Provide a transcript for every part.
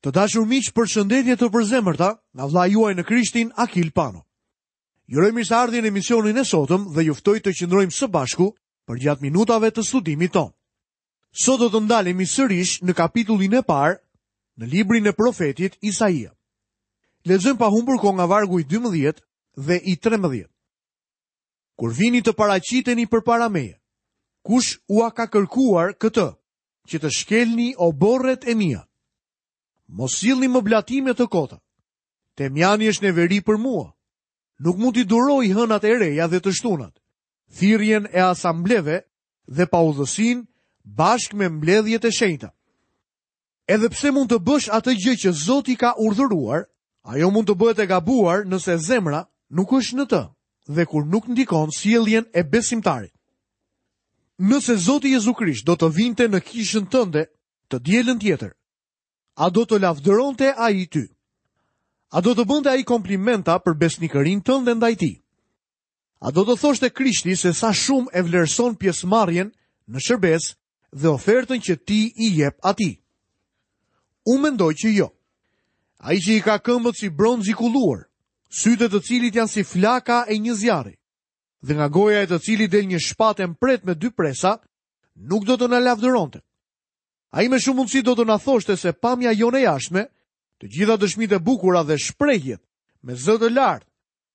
Të dashur miq, përshëndetje të përzemërta nga vëllai juaj në Krishtin Akil Pano. Ju uroj mirëseardhjen në emisionin e sotëm dhe ju ftoj të qëndrojmë së bashku përgjatë minutave të studimit tonë. Sot do të ndalemi sërish në kapitullin e parë në librin e profetit Isaia. Lexojmë pa humbur kohë nga vargu i 12 dhe i 13. Kur vini të paraqiteni përpara meje, kush ua ka kërkuar këtë që të shkelni oborret e mia? Mos sillni më blatime të kota. Temjani është neveri për mua. Nuk mund t'i duroj hënat e reja dhe të shtunat, thirrjen e asambleve dhe paudhësinë bashkë me mbledhjet e shenjta. Edhe pse mund të bësh atë gjë që Zoti ka urdhëruar, ajo mund të bëhet e gabuar nëse zemra nuk është në të dhe kur nuk ndikon sjelljen e besimtarit. Nëse Zoti Jezu Krisht do të vinte në kishën tënde të dielën tjetër, a do të lavdëronte ai ty? A do të bënte ai komplimenta për besnikërinë tënde ndaj tij? A do të thoshte Krishti se sa shumë e vlerëson pjesëmarrjen në shërbesë dhe ofertën që ti i jep atij? Unë mendoj që jo. Ai që i ka këmbët si bronz i kulluar, sytë e të cilit janë si flaka e një zjarri, dhe nga goja e të cilit del një shpatë e mprehtë me dy presa, nuk do të na lavdëronte. Ai me shumë mundësi do të na thoshte se pamja jonë e jashtme, të gjitha dëshmitë e bukura dhe shprehjet me zë të lartë,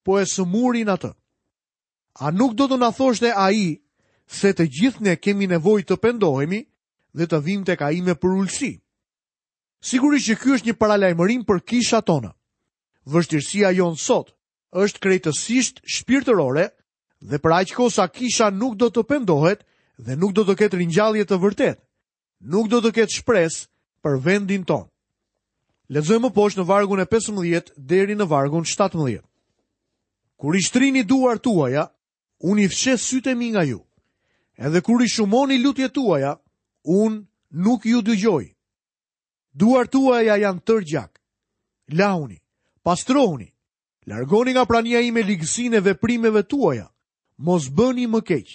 po e sëmurin atë. A nuk do të na thoshte ai se të gjithë ne kemi nevojë të pendohemi dhe të vijmë tek ai me përulësi? Sigurisht që ky është një paralajmërim për kishat tona. Vështirësia jonë sot është krejtësisht shpirtërore dhe për aq kohë sa kisha nuk do të pendohet dhe nuk do të ketë ringjallje të vërtetë, nuk do të ketë shpresë për vendin tonë. Lexojmë më poshtë në vargun e 15 deri në vargun 17. Kur i shtrini duart tuaja, unë i fsheh sytë e mi nga ju. Edhe kur i shumoni lutjet tuaja, unë nuk ju dëgjoj. Duart tuaja janë tërë gjak. Lahuni, pastrohuni, largoni nga prania ime ligësinë e veprimeve tuaja. Mos bëni më keq.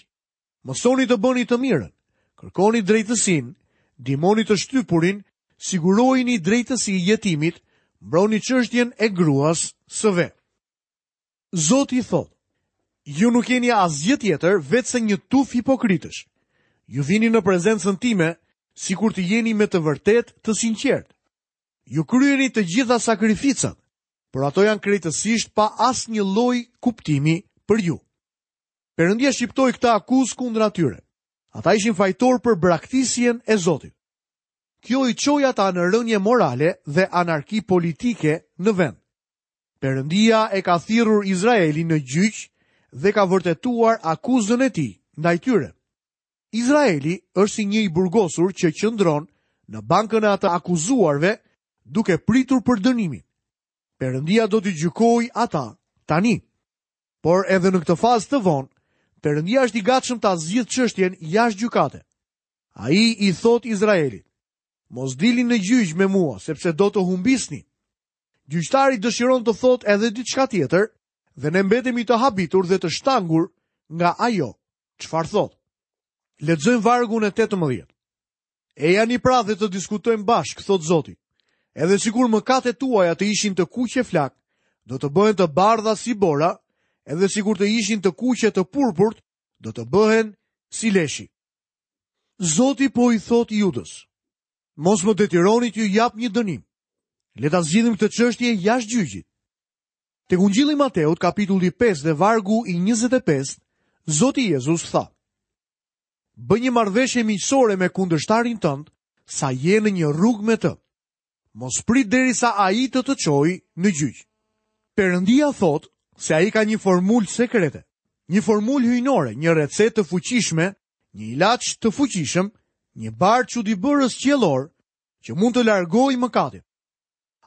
Mësoni të bëni të mirën, kërkoni drejtësinë, ndihmoni të shtypurin, sigurojini drejtësi jetimit, mbroni çështjen e gruas së ve. Zoti thotë, ju nuk jeni asgjë tjetër veçse një tufë hipokritësh. Ju vini në prezencën time sikur të jeni me të vërtetë të sinqertë. Ju kryeni të gjitha sakrificat, por ato janë krejtësisht pa asnjë lloj kuptimi për ju. Perëndia shqiptoi këtë akuzë kundra tyre. Ata ishin fajtorë për braktisjen e Zotit. Kjo i çoi ata në rënie morale dhe anarki politike në vend. Perëndia e ka thirrur Izraelin në gjyq dhe ka vërtetuar akuzën e tij ndaj tyre. Izraeli është si një i burgosur që qëndron në bankën e të akuzuarve duke pritur për dënimin. Perëndia do t'i gjykojë ata tani. Por edhe në këtë fazë të vonë, Perëndia është i gatshëm ta zgjidhë çështjen jashtë gjykate. Ai i thotë Izraelit: Mos dilni në gjyq me mua, sepse do të humbisni. Gjyqtari dëshiron të thotë edhe diçka tjetër dhe ne mbetemi të habitur dhe të shtangur nga ajo çfarë thotë. Lexojmë vargun e 18. Ejani pra dhe të diskutojmë bashkë, thotë Zoti. Edhe sikur mëkatet tuaja të ishin të kuqe flakë, do të bëhen të bardha si bora, edhe sikur të ishin të kuqe të purpurt, do të bëhen si leshi. Zoti po i thotë Judës, mos më detyroni t'ju jap një dënim. Le ta zgjidhim këtë çështje jashtë gjyqit. Tek Ungjilli i Mateut, kapitulli 5 dhe vargu i 25, Zoti Jezus tha: Bëj një marrëveshje miqësore me kundërshtarin tënd, sa je në një rrugë me të. Mos prit derisa ai të të çojë në gjyq. Perëndia thotë se ai ka një formulë sekrete, një formulë hyjnore, një recetë të fuqishme, një ilaç të fuqishëm, një bar çudibërës qiellor që mund të largojë mëkatin.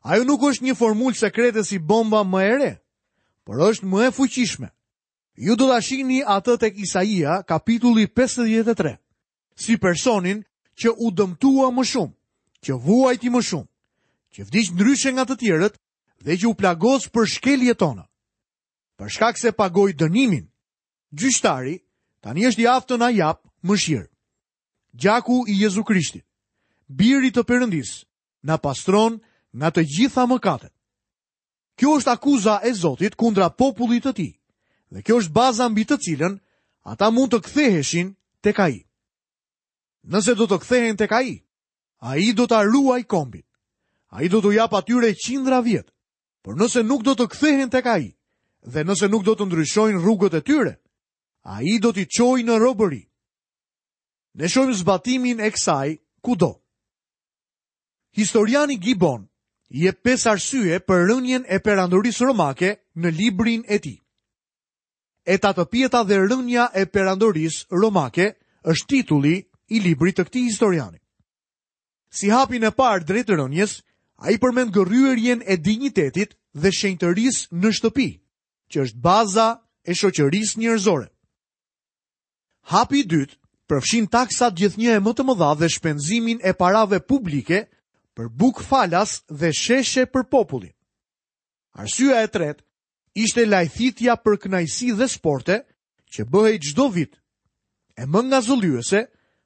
Ajo nuk është një formulë sekrete si bomba më e re, por është më e fuqishme. Ju do ta shihni atë tek Isaia, kapitulli 53, si personin që u dëmtua më shumë, që vuajti më shumë, që vdiq ndryshe nga të tjerët dhe që u plagos për shkeljet tona. Për shkak se pagoi dënimin, gjyqtari tani është i aftë të na japë mëshirë. Gjaku i Jezu Krishtit, birit të Perëndisë, na pastron nga të gjitha mëkatet. Kjo është akuza e Zotit kundra popullit të tij dhe kjo është baza mbi të cilën ata mund të ktheheshin tek ai. Nëse do të kthehen tek ai, ai do ta ruajë kombin. Ai do t'u japë atyre qindra vjet. Por nëse nuk do të kthehen tek ai dhe nëse nuk do të ndryshojnë rrugët e tyre, ai do t'i çojë në robëri. Ne shohim zbatimin e kësaj kudo. Historiani Gibbon jep pesë arsye për rënien e perandorisë romake në librin e tij. E tatëpjeta dhe rënia e perandorisë romake është titulli i librit të këtij historiani. Si hapin e parë drejt rënies, ai përmend gërryerjen e dinjitetit dhe shenjtërisë në shtëpi, që është baza e shoqërisë njerëzore. Hapi i dytë përfshin taksat gjithnjë e më të mëdha dhe shpenzimin e parave publike për bukë falas dhe sheshe për popullin. Arsyeja e tretë ishte lajthitja për kënaqësi dhe sporte që bëhej çdo vit, e më ngazëllyese,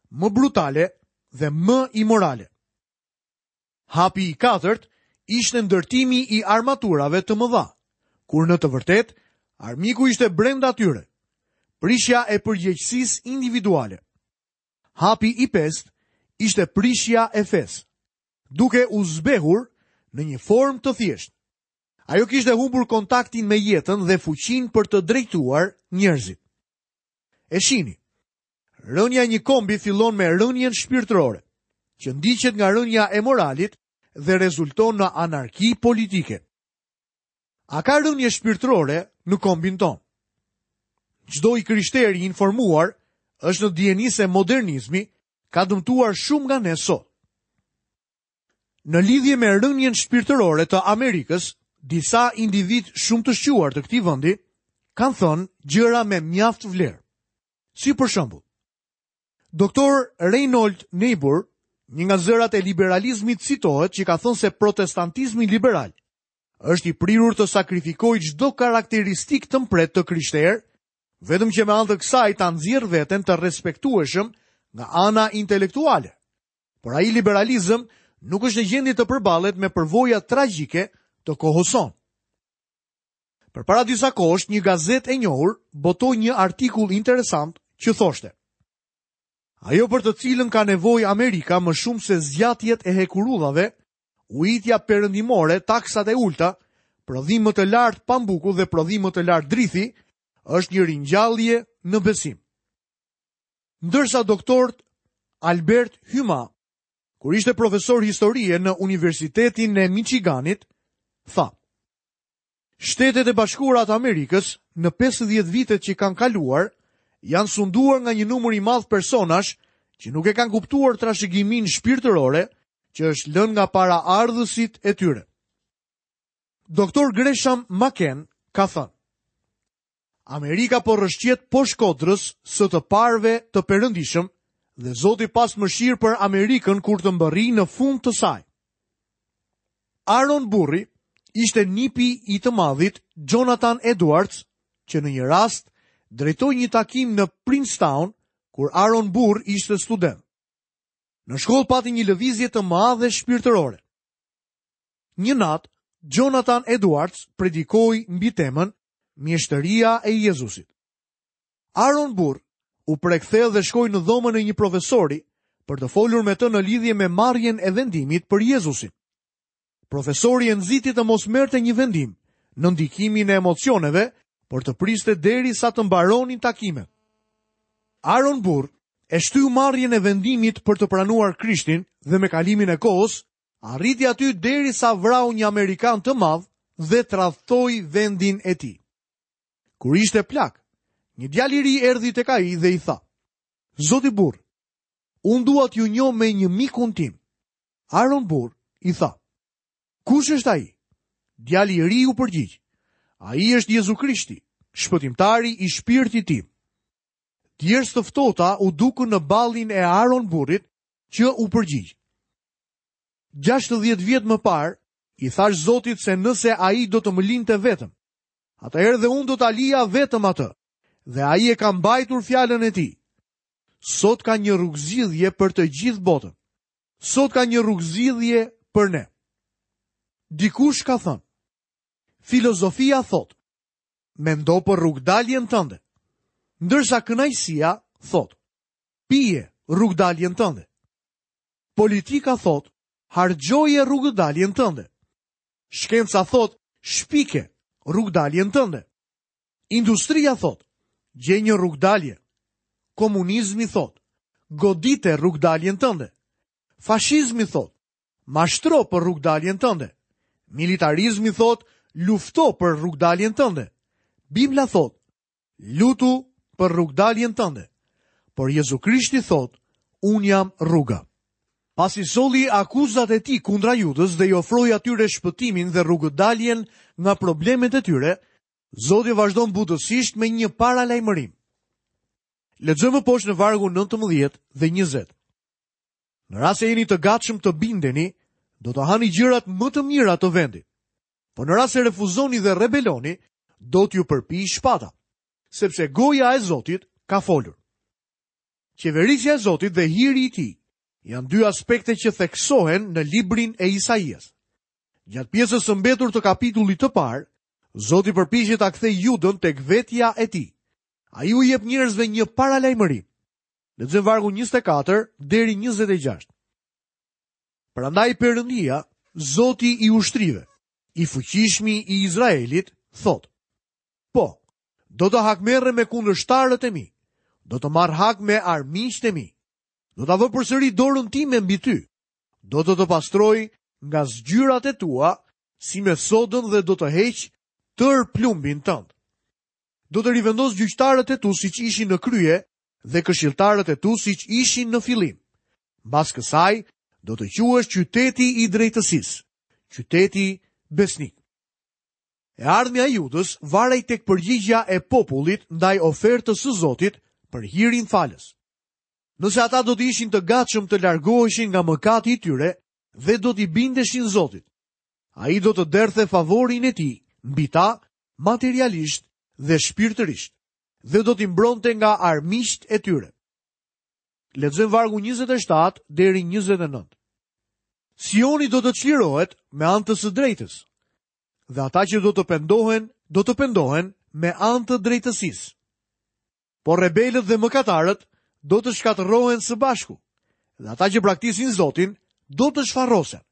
më brutale dhe më imorale. Hapi i katërt ishte ndërtimi i armaturave të mëdha, kur në të vërtetë armiku ishte brenda tyre. Prishja e përgjegjësisë individuale. Hapi i pestë ishte prishja e fesë, duke u zbehur në një formë të thjeshtë. Ajo kishte humbur kontaktin me jetën dhe fuqinë për të drejtuar njerëzit. E shihni, rënia e një kombi fillon me rënien shpirtërore, që ndiqet nga rënia e moralit dhe rezulton në anarki politike. A ka rënie shpirtërore në kombin tonë? Çdo i krishterë i informuar është në dijeni se modernizmi ka dëmtuar shumë nga ne sot. Në lidhje me rënien shpirtërore të Amerikës, disa individë shumë të shquar të këtij vendi kanë thënë gjëra me mjaft vlerë. Si për shembull, Doktor Reinhold Niebuhr, një nga zërat e liberalizmit citohet që ka thënë se protestantizmi liberal është i prirur të sakrifikojë çdo karakteristikë të mprehtë të krishterë, vetëm që me anë të kësaj ta nxjerrë veten të respektueshëm nga ana intelektuale. Por ai liberalizëm nuk është në gjendje të përballet me përvojat tragjike të kohës sonë. Përpara disa kohësh, një gazetë e njohur botoi një artikull interesant që thoshte: Ajo për të cilën ka nevojë Amerika më shumë se zgjatjet e hekurudhave, ujitja perëndimore, taksat e ulëta, prodhim më të lartë pambuku dhe prodhim më të lartë drithi, është një ringjallje në besim. Ndërsa doktor Albert Hyma, kur ishte profesor historie në Universitetin e Michiganit, tha: Shtetet e Bashkuara të Amerikës në 50 vitet që kanë kaluar janë sunduar nga një numër i madh personash që nuk e kanë kuptuar trashëgiminë shpirtërore që është lënë nga paraardhësit e tyre. Doktor Gresham Machen ka thënë: Amerika po rrëshqet poshtë kodrës së të parëve të perëndishëm dhe Zoti pastë mëshirë për Amerikën kur të mbërrijë në fund të saj. Aaron Burri ishte nipi i të madhit Jonathan Edwards, që në një rast drejtoi një takim në Princetown kur Aaron Burr ishte student. Në shkollë pati një lëvizje të madhe shpirtërore. Një natë, Jonathan Edwards predikoi mbi temën Mjeshtëria e Jezusit. Aaron Burr u prek thellë dhe shkoi në dhomën e një profesori për të folur me të në lidhje me marrjen e vendimit për Jezusin. Profesori e nxiti të mos merrte një vendim në ndikimin e emocioneve, por të priste derisa të mbaronin takimet. Aaron Burr e shtyu marrjen e vendimit për të pranuar Krishtin dhe me kalimin e kohës Arriti aty derisa vrau një amerikan të madh dhe tradhtoi vendin e tij. Kur ishte plak, një djalë i ri erdhi tek ai dhe i tha: Zoti Burr, unë dua t'ju njoh me një mikun tim. Aaron Burr i tha: Kush është ai? Djali i ri u përgjigj: Ai është Jezu Krishti, shpëtimtari i shpirtit tim. Djersë të ftohta u dukën në ballin e Aaron Burrit që u përgjigj. 60 vjet më parë, i thashë Zotit se nëse ai do të më linte vetëm, atëherë dhe unë do ta lija vetëm atë, dhe ai e ka mbajtur fjalën e tij. Sot ka një rrugëzgjidhje për të gjithë botën. Sot ka një rrugëzgjidhje për ne. Dikush ka thënë, filozofia thotë, mendo për rrugëdaljen tënde, ndërsa kënaqësia thotë, pije rrugëdaljen tënde. Politika thotë, harxhoje rrugëdaljen tënde. Shkenca thotë, shpike rrugëdaljen tënde. Industria thotë, gjej një rrugëdalje. Komunizmi thotë, godite rrugëdaljen tënde. Fashizmi thotë, mashtro për rrugëdaljen tënde. Militarizmi thotë, lufto për rrugëdaljen tënde. Bibla thotë, lutu për rrugëdaljen tënde. Por Jezu Krishti thotë, unë jam rruga. Pasi solli akuzat e tij kundra Judës dhe i ofroi atyre shpëtimin dhe rrugëdaljen nga problemet e tyre, Zoti vazhdon butësisht me një paralajmërim. Lexojmë më poshtë në vargun 19 dhe 20. Në rast se jeni të gatshëm të bindeni, do të hani gjërat më të mira të vendit. Por në rast se refuzoni dhe rebeloni, do t'ju përpijë shpata, sepse goja e Zotit ka folur. Qeverisja e Zotit dhe hiri i tij janë dy aspekte që theksohen në librin e Isaias. Gjatë pjesës së mbetur të kapitullit të parë, Zoti përpiqet ta kthejë Judën tek vetja e tij. Ai u jep njerëzve një paralajmërim. Lexojmë vargun 24 deri 26. Prandaj Perëndia, Zoti i ushtrive, i fuqishmi i Izraelit, thotë: Po, do të hakmerrem me kundërshtarët e mi, do të marr hak me armiqtë e mi. Do ta vë përsëri dorën time mbi ty. Do të të pastroj nga zgjyrat e tua si me sodën dhe do të heq tërë plumbin tënd. Do të rivendos gjyqtarët e tu siç ishin në krye dhe këshilltarët e tu siç ishin në fillim. Mbas kësaj, do të quhesh qyteti i drejtësisë, qyteti besnik. E ardhmja e Judës varej tek përgjigja e popullit ndaj ofertës së Zotit për hirin falës. Nëse ata do të ishin të gatshëm të largoheshin nga mëkati i tyre dhe do t'i bindeshin Zotit, ai do të derdhte favorin e tij mbi ta materialisht dhe shpirtërisht dhe do t'i mbronte nga armiqtë e tyre. Lexojmë vargun 27 deri 29. Sioni do të çlirohet me anë të së drejtës, dhe ata që do të pendohen, do të pendohen me anë të drejtësisë. Por rebelët dhe mëkatarët do të shkatërrohen së bashku, dhe ata që braktisin Zotin do të shfarrosen.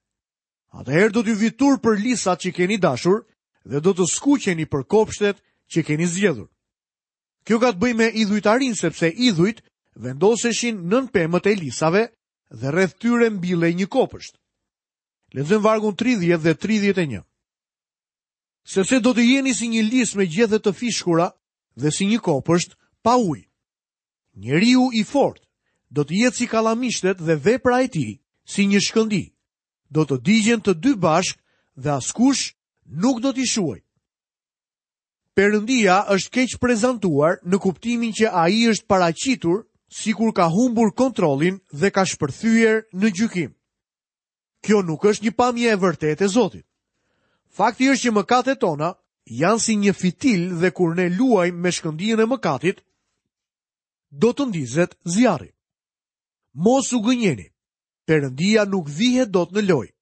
Atëherë do t'ju vijë turp për lisat që keni dashur dhe do të skuqeni për kopshtet që keni zgjedhur. Kjo ka të bëjë me idhujtarinë sepse idhujt vendoseshin nën pemët e lisave dhe rreth tyre mbillej një kopësht. Lexojmë vargun 30 dhe 31. Sepse do të jeni si një lis me gjethe të fishkura dhe si një kopësht pa ujë. Njeriu i fortë do të jetë si kallamishtet dhe vepra e tij si një shkëndijë. Do të digjen të dy bashkë dhe askush nuk do t'i shuajë. Perëndia është keqprezantuar në kuptimin që ai është paraqitur sikur ka humbur kontrollin dhe ka shpërthyer në gjykim. Kjo nuk është një pamje e vërtetë e Zotit. Fakti është që mëkatet tona janë si një fitil dhe kur ne luajmë me shkëndijën e mëkatit, do të ndizet zjarri. Mos u gënjeni. Perëndia nuk vihet dot në lojë,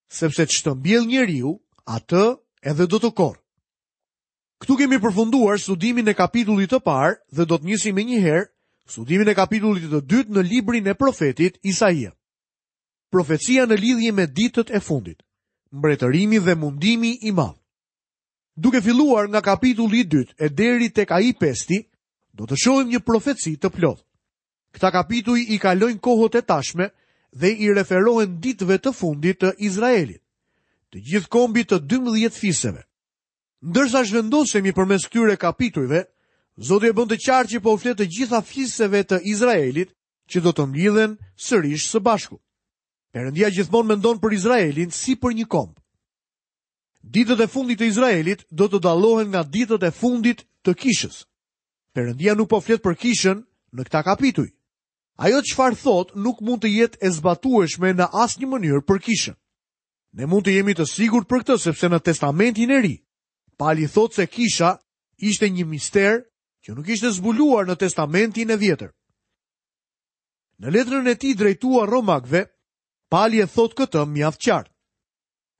sepse ç'të mbjellë njeriu, atë edhe do të korrë. Këtu kemi përfunduar studimin e kapitullit të parë dhe do të nisim menjëherë studimin e kapitullit të dytë në librin e profetit Isaia. Profecia në lidhje me ditët e fundit, mbretërimi dhe mundimi i madh. Duke filluar nga kapitulli i dytë e deri tek ai i pesti, do të shohim një profeci të plotë. Këta kapituj i kalojnë kohët e tashme dhe i referohen ditëve të fundit të Izraelit, të gjithë kombit të 12 fiseve. Ndërsa zhvendosemi përmes këtyre kapitujve, Zoti e bën të qartë që po u flet të gjitha fiseve të Izraelit që do të mblidhen sërish së bashku. Perëndia gjithmonë mendon për Izraelin si për një komb. Ditët e fundit të Izraelit do të dallohen nga ditët e fundit të kishës. Perëndia nuk po flet për kishën në këta kapituj. Ajo çfarë thotë nuk mund të jetë e zbatueshme në asnjë mënyrë për kishën. Ne mund të jemi të sigurt për këtë sepse në Testamentin e Ri, Pali thotë se kisha ishte një mister që nuk ishte zbuluar në Testamentin e Vjetër. Në letrën e tij drejtuar Romakëve, Pali e thotë këtë mjaft qartë.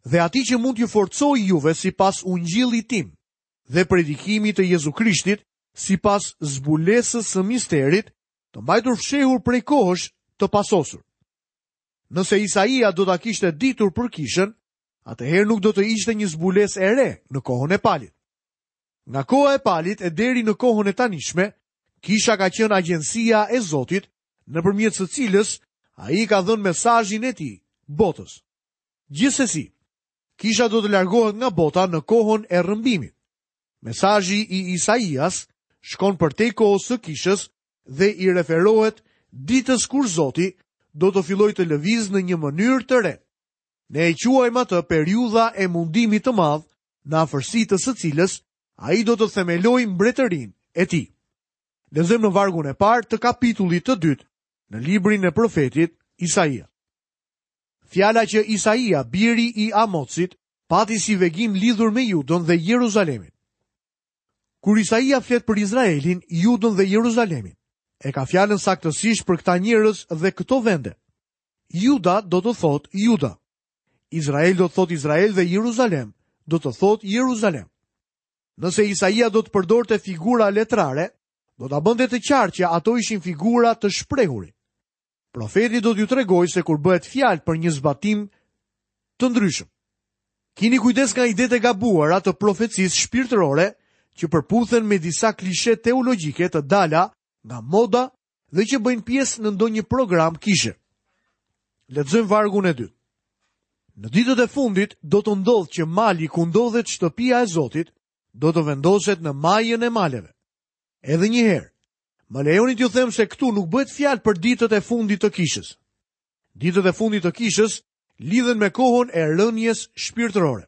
Dhe atij që mund t'ju forcojë juve sipas ungjillit tim dhe predikimit të Jezu Krishtit, sipas zbulesës së misterit, të mbajtur fshehur prej kohësh të pasosur. Nëse Isaia do ta kishte ditur për kishën, atëherë nuk do të ishte një zbulesë e re në kohën e Palit. Nga koha e Palit e deri në kohën e tanishme, kisha ka qenë agjencia e Zotit, nëpërmjet së cilës ai ka dhënë mesazhin e tij botës. Gjithsesi, kisha do të largohet nga bota në kohën e rrëmbimit. Mesazhi i Isaias shkon përtej kohës së kishës dhe i referohet ditës kur Zoti do të fillojë të lëvizë në një mënyrë të re. Ne e quajmë atë periudha e mundimit të madh, në afërsi të së cilës ai do të themelojë mbretërinë e tij. Lexojmë në vargun e parë të kapitullit të dytë në librin e profetit Isaia. Fjala që Isaia, biri i Amotsit, pati si vegim lidhur me Judën dhe Jeruzalemin. Kur Isaia flet për Izraelin, Judën dhe Jeruzalemin, e ka fjalën saktësisht për këta njerëz dhe këto vende. Juda do të thotë Juda. Izrael do të thotë Izrael dhe Jeruzalem do të thotë Jeruzalem. Nëse Isaia do të përdorte figura letrare, do ta bënte të qartë që ato ishin figura të shprehuri. Profeti do t'ju tregojë se kur bëhet fjalë për një zbatim të ndryshëm. Kini kujdes nga idetë e gabuara të profecisë shpirtërore që përputhen me disa klishe teologjike të dala nga moda dhe që bëjnë pjesë në ndonjë program kishe. Lexojmë vargun e dytë. Në ditët e fundit do të ndodhë që mali ku ndodhet shtëpia e Zotit do të vendoset në majën e maleve. Edhe një herë, Më lejoni t'ju them se këtu nuk bëhet fjalë për ditët e fundit të kishës. Ditët e fundit të kishës lidhen me kohën e rënies shpirtërore.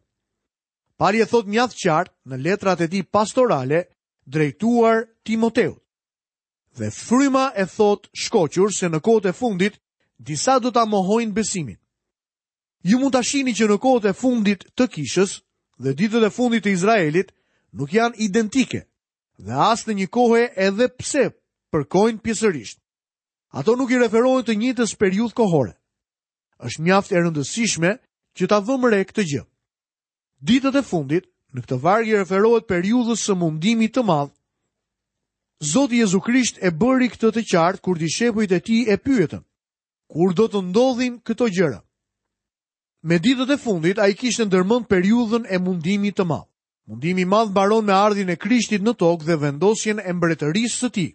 Pali e thotë mjaft qartë në letrat e tij pastorale drejtuar Timoteut. Dhe fryma e thotë shkoqur se në kohët e fundit disa do ta mohojnë besimin. Ju mund ta shihni që në kohët e fundit të kishës dhe ditët e fundit të Izraelit nuk janë identike, dhe as në një kohe edhe pse përkojnë pjesërisht. Ato nuk i referohen të njëjtës periudhë kohore. Është mjaft e rëndësishme që ta vëmë re këtë gjë. Ditët e fundit, në këtë varg i referohet periudhës së mundimit të madh. Zoti Jezu Krisht e bëri këtë të qartë kur dishepujt e tij e pyetën: Kur do të ndodhin këto gjëra? Me ditët e fundit ai kishte ndërmend periudhën e mundimit të madh. Mundimi i madh mbaron me ardhjen e Krishtit në tokë dhe vendosjen e mbretërisë së tij.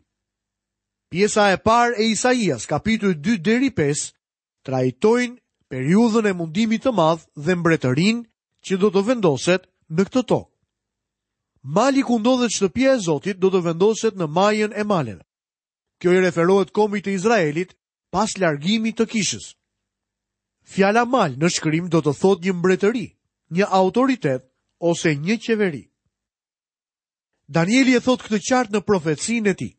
Pjesa e parë e Isaias, kapituj 2 deri 5, trajtojnë periudhën e mundimit të madh dhe mbretërinë që do të vendoset në këtë tokë. Mali ku ndodhet shtëpia e Zotit do të vendoset në majën e maleve. Kjo i referohet kombit të Izraelit pas largimit të kishës. Fjala mal në shkrim do të thotë një mbretëri, një autoritet ose një qeveri. Danieli e thotë këtë qartë në profecinë e tij.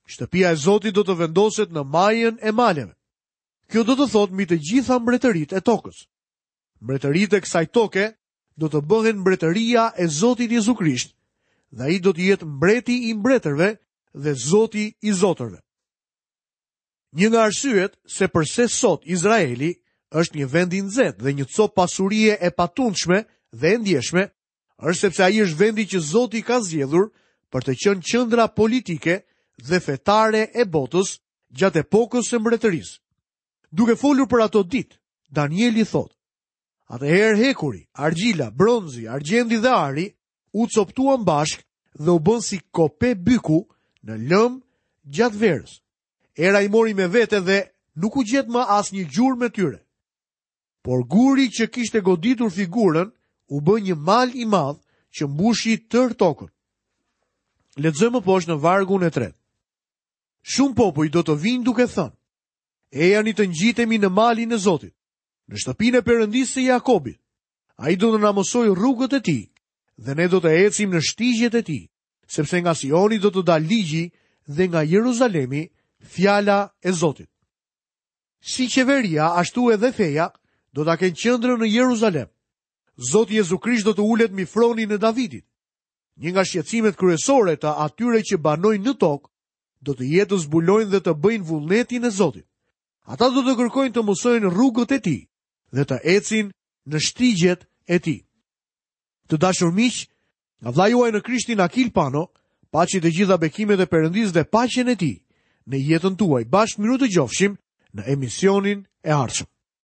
Shtëpia e Zotit do të vendoset në majën e maleve. Kjo do të thotë mbi të gjitha mbretëritë e tokës. Mbretëritë e kësaj toke do të bëhen mbretëria e Zotit Jezu Krisht dhe ai do të jetë mbreti i mbretërve dhe Zoti i zotërve. Një nga arsyet se përse sot Izraeli është një vend i nxehtë dhe një copë pasurie e patundshme dhe e ndjeshme, është sepse ai është vendi që Zoti ka zgjedhur për të qenë qendra politike dhe fetare e botës gjatë epokës së mbretërisë. Duke folur për ato ditë, Danieli thotë: Atëherë hekuri, argjila, bronzi, argjendi dhe ari u copëtuan bashkë dhe u bënë si kope byku në lëmë gjatë verës. Era i mori me vete dhe nuk u gjet më asnjë gjurmë e tyre. Por guri që kishte goditur figurën u bë një mal i madh që mbushi tërë tokën. Lexojmë më poshtë në vargun e tretë. Shumë popuj do të vijnë duke thënë: Ejani të ngjitemi në malin e Zotit, në shtëpinë e Perëndisë së Jakobit. Ai do të na mësojë rrugët e tij dhe ne do të ecim në shtigjet e tij, sepse nga Sioni do të dalë ligji dhe nga Jeruzalemi fjala e Zotit. Si qeveria, ashtu edhe feja, do ta kenë qendrën në Jeruzalem. Zoti Jezu Krisht do të ulet mbi fronin e Davidit. Një nga shqetësimet kryesore të atyre që banojnë në tokë do të jetë të zbulojnë dhe të bëjnë vullnetin e Zotit. Ata do të kërkojnë të mësojnë rrugët e tij dhe të ecin. në shtigjet e tij. Të dashur miq, nga vëllai juaj në Krishtin Akil Pano, paçi të gjitha bekimet e Perëndisë dhe paqen e tij në jetën tuaj. Bashkë mirudëgjofshim në emisionin e ardhshëm.